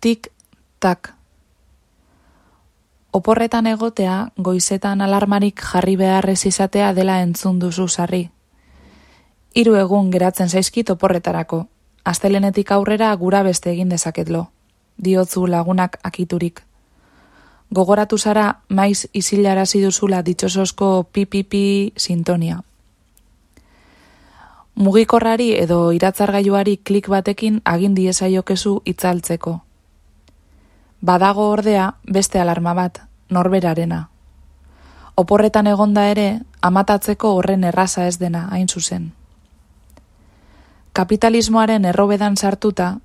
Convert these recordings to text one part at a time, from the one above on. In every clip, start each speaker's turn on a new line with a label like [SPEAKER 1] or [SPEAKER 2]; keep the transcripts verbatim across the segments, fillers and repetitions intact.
[SPEAKER 1] Tik, tak. Oporretan egotea, goizetan alarmarik jarri beharrez izatea dela entzun duzu sarri. Hiru egun geratzen zaizkit oporretarako. Astelenetik aurrera gura beste egin dezaketlo. Diotzu lagunak akiturik. Gogoratu zara maiz isilarazi duzula ditxosozko pipipi sintonia. Mugikorrari edo iratzargailuari klik batekin agin diezaiokezu itzaltzeko. Badago ordea beste alarma bat, norberarena. Oporretan egonda ere, amatatzeko horren erraza ez dena, hain zuzen. Kapitalismoaren errobedan sartuta,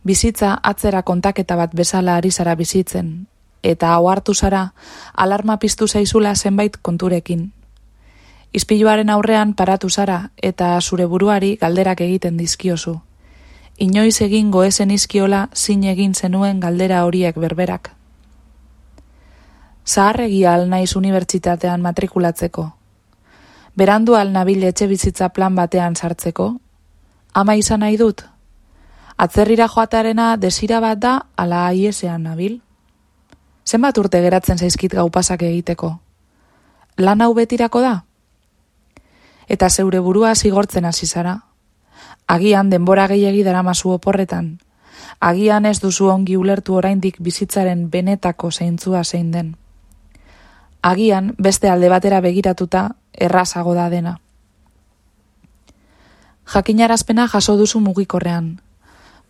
[SPEAKER 1] bizitza atzera kontaketa bat bezala ari zara bizitzen, eta ohartu zara alarma piztu zaizula zenbait konturekin. Ispiluaren aurrean paratu zara eta zure buruari galderak egiten dizkiozu. Inoiz egingo ezen izkiola zin egin zenuen galdera horiek berberak. Zaharregia al naiz unibertsitatean matrikulatzeko. Berandu al nabil etxe bizitza plan batean sartzeko. Ama izan nahi dut? Atzerrira joatearena desira bat da ala aiesean nabil? Zenbat urte geratzen zaizkit gau pasak egiteko? Lan hau betirako da? Eta zeure burua zigortzen hasi zara. Agian denbora gehiegi daramazu oporretan. Agian ez duzu ongi ulertu oraindik bizitzaren benetako zeintzua zein den. Agian beste alde batera begiratuta errazago da dena. Jakinarazpena jaso duzu mugikorrean.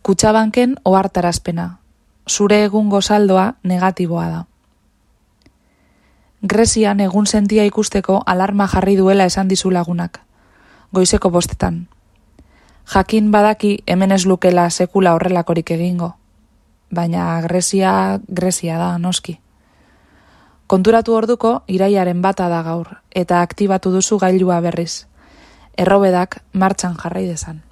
[SPEAKER 1] Kutxabanken ohartarazpena. Zure egungo saldoa negatiboa da. Grezian egun sentia ikusteko alarma jarri duela esan dizu lagunak. Goizeko bostetan. Jakin badaki hemen ez lukela sekula horrelakorik egingo. Baina Grezia, Grezia da, noski. Konturatu orduko iraiaren bata da gaur, eta aktibatu duzu gailua berriz. Errobedak martxan jarrai dezan.